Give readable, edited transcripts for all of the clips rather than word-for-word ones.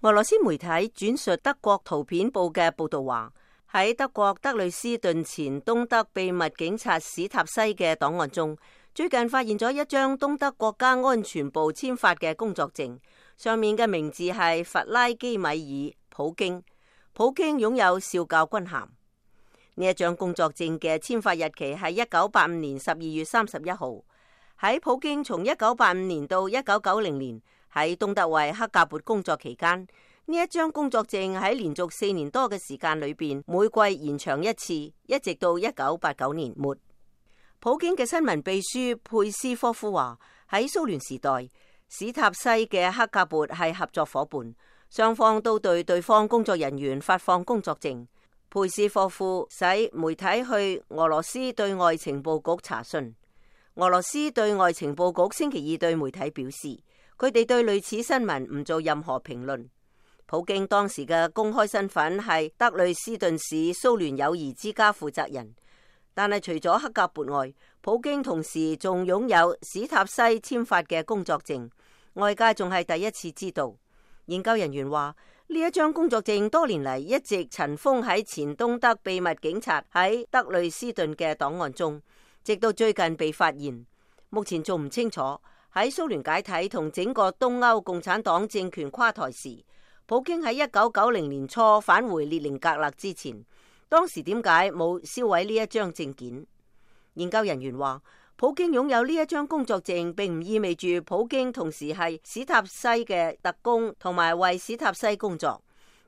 俄羅斯媒體轉述德國圖片報嘅報道話，喺德國德累斯頓前東德秘密警察史塔西嘅檔案中，最近發現咗一張東德國家安全部簽發嘅工作證，上面嘅名字係弗拉基米爾普京。普京擁有少校軍銜。呢一張工作證嘅簽發日期係1985年12月31號。喺普京從1985年到1990年喺東德為克格勃工作期間，呢一張工作證喺連續4年多嘅時間裏邊，每季延長一次，一直到1989年末。普京嘅新聞秘書佩斯科夫話，喺蘇聯時代，史塔西嘅克格勃係合作夥伴，雙方都對對方工作人員發放工作證。佩斯科夫使媒體去俄羅斯對外情報局查詢。俄羅斯對外情報局星期二對媒體表示，佢哋對類似新聞唔做任何評論。普京當時嘅公開身份係德累斯頓市蘇聯友誼之家負責人，但係除咗克格勃外，普京同時仲擁有史塔西簽發嘅工作證，外界仲係第一次知道。研究人員話，呢一張工作證多年嚟一直塵封喺前東德秘密警察喺德累斯頓嘅檔案中，直到最近被發現。目前仲唔清楚喺蘇聯解體同整個東歐共產黨政權垮台時，普京喺1990年初返回列寧格勒之前，當時點解冇銷毀呢一張證件？研究人員話，普京擁有呢一張工作證並唔意味住普京同時係史塔西嘅特工同埋為史塔西工作，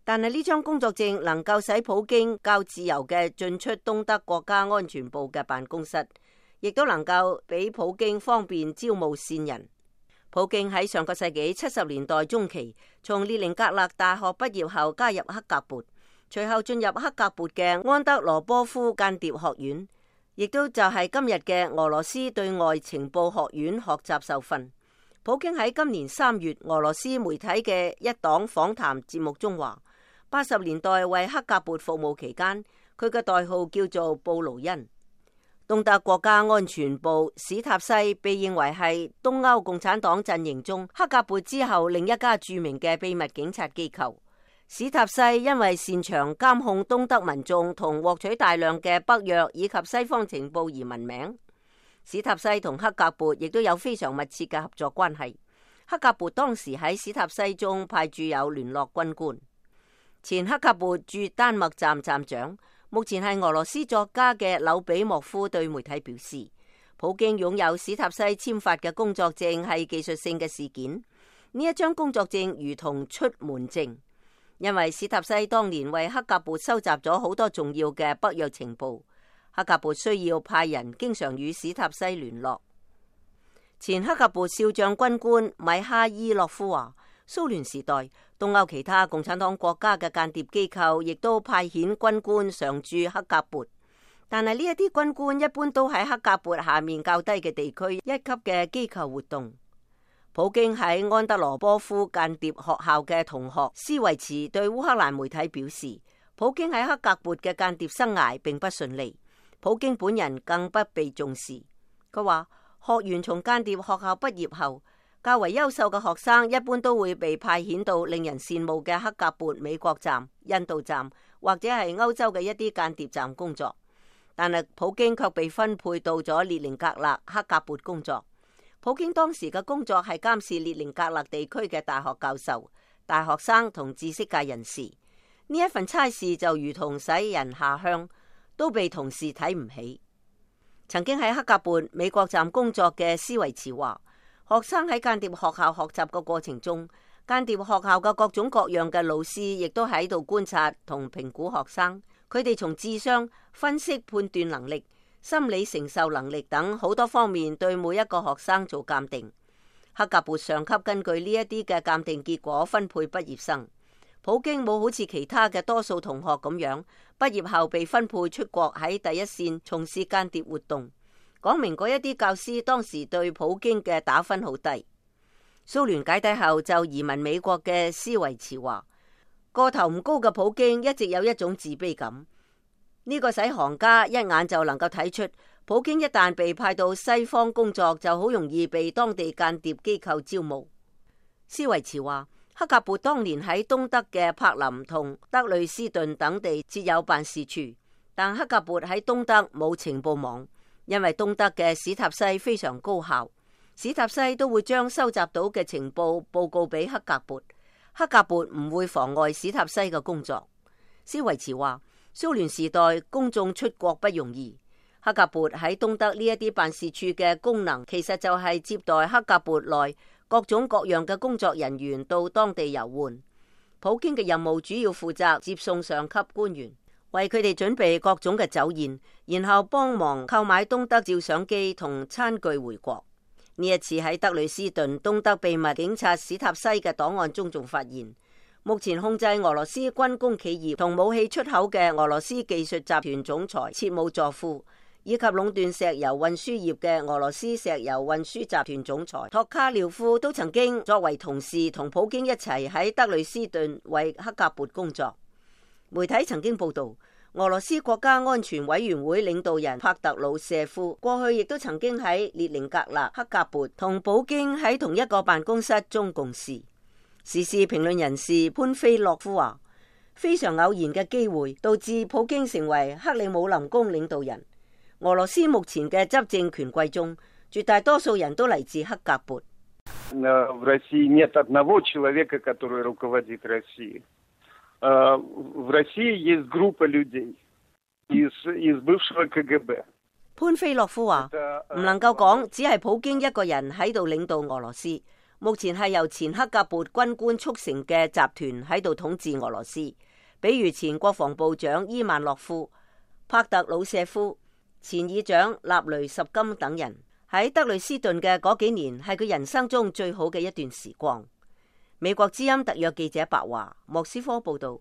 但係呢張工作證能夠使普京較自由嘅進出東德國家安全部嘅辦公室，亦都能夠俾普京方便招募線人。普京喺上個世紀70年代中期從列寧格勒大學畢業後加入克格勃，隨後進入克格勃嘅安德羅波夫間諜學院，亦都就係今日嘅俄羅斯對外情報學院學習受訓。普京喺今年3月俄羅斯媒體嘅一檔訪談節目中話，80年代為克格勃服務期間，佢嘅代號叫做布魯恩。東德國家安全部史塔西被認為係東歐共產黨陣營中克格勃之後另一家著名嘅秘密警察機構。史塔西因為擅長監控東德民眾同獲取大量嘅北約以及西方情報而聞名。史塔西同克格勃亦都有非常密切嘅合作關係。克格勃當時喺史塔西中派駐有聯絡軍官。前克格勃駐丹麥站站長，目前係俄羅斯作家嘅柳比莫夫對媒體表示，普京擁有史塔西簽發嘅工作證係技術性嘅事件。呢一張工作證如同出門證，因為史塔西當年為克格勃收集咗好多重要嘅北約情報，克格勃需要派人經常與史塔西聯絡。前克格勃少將軍官米哈伊洛夫話，蘇聯時代東歐其他共產黨國家嘅間諜機構亦都派遣軍官常駐克格勃，但係呢一啲軍官一般都喺克格勃下面較低嘅地區一級嘅機構活動。普京喺安德羅波夫間諜學校嘅同學斯維茨對烏克蘭媒體表示，普京喺克格勃嘅間諜生涯並不順利，普京本人更不被重視。佢話，學員從間諜學校畢業後，較為優秀嘅學生一般都會被派遣到令人羨慕嘅克格勃美國站、印度站或者係歐洲嘅一啲間諜站工作，但係普京卻被分配到咗列寧格勒克格勃工作。普京當時嘅工作係監視列寧格勒地區嘅大學教授、大學生同知識界人士。呢一份差事就如同使人下鄉，都被同事睇唔起。曾經喺克格勃美國站工作嘅斯維茨話，學生喺間諜學校學習嘅過程中，間諜學校嘅各種各樣嘅老師亦都喺度觀察同評估學生。佢哋從智商、分析判斷能力、心理承受能力等好多方面對每一個學生做鑑定。克格勃上級根據呢一啲嘅鑑定結果分配畢業生。普京冇好似其他嘅多數同學咁樣，畢業後被分配出國喺第一線從事間諜活動。講明嗰一啲教師當時對普京嘅打分好低。蘇聯解體後就移民美國嘅斯維茨話，個頭唔高嘅普京一直有一種自卑感。呢個使行家一眼就能夠睇出，普京一旦被派到西方工作，就好容易被當地間諜機構招募。斯維茨話，克格勃當年喺東德嘅柏林同德累斯頓等地設有辦事處，但克格勃喺東德冇情報網，因為東德嘅史塔西非常高效，史塔西都會將收集到嘅情報報告俾克格勃，克格勃唔會妨礙史塔西嘅工作。施維茨話，蘇聯時代公眾出國不容易，克格勃喺東德呢一啲辦事處嘅功能，其實就係接待克格勃內各種各樣嘅工作人員到當地遊玩。普京嘅任務主要負責接送上級官員，為佢哋準備各種嘅酒宴，然後幫忙購買東德照相機同餐具回國。呢一次喺德累斯頓東德秘密警察史塔西嘅檔案中仲發現，目前控制俄羅斯軍工企業同武器出口嘅俄羅斯技術集團總裁切姆佐夫，以及壟斷石油運輸業嘅俄羅斯石油運輸集團總裁托卡廖夫都曾經作為同事同普京一齊喺德累斯頓為克格勃工作。媒體曾經報道，俄羅斯國家安全委員會領導人帕特魯舍夫過去亦都曾經喺列寧格勒克格勃同普京喺同一個辦公室中共事。時事評論人士潘菲洛夫話，非常偶然嘅機會導致普京成為克里姆林宮領導人。俄羅斯目前嘅執政權貴中，絕大多數人都嚟自克格勃。潘菲洛夫話，唔能夠講只係普京一個人喺度領導俄羅斯，目前係由前克格勃軍官促成嘅集團喺度統治俄羅斯，比如前國防部長伊萬諾夫、帕特魯舍夫、前議長納雷什金等人。喺德累斯頓嘅嗰幾年係佢人生中最好嘅一段時光。美國之音特約記者白華，莫斯科報道。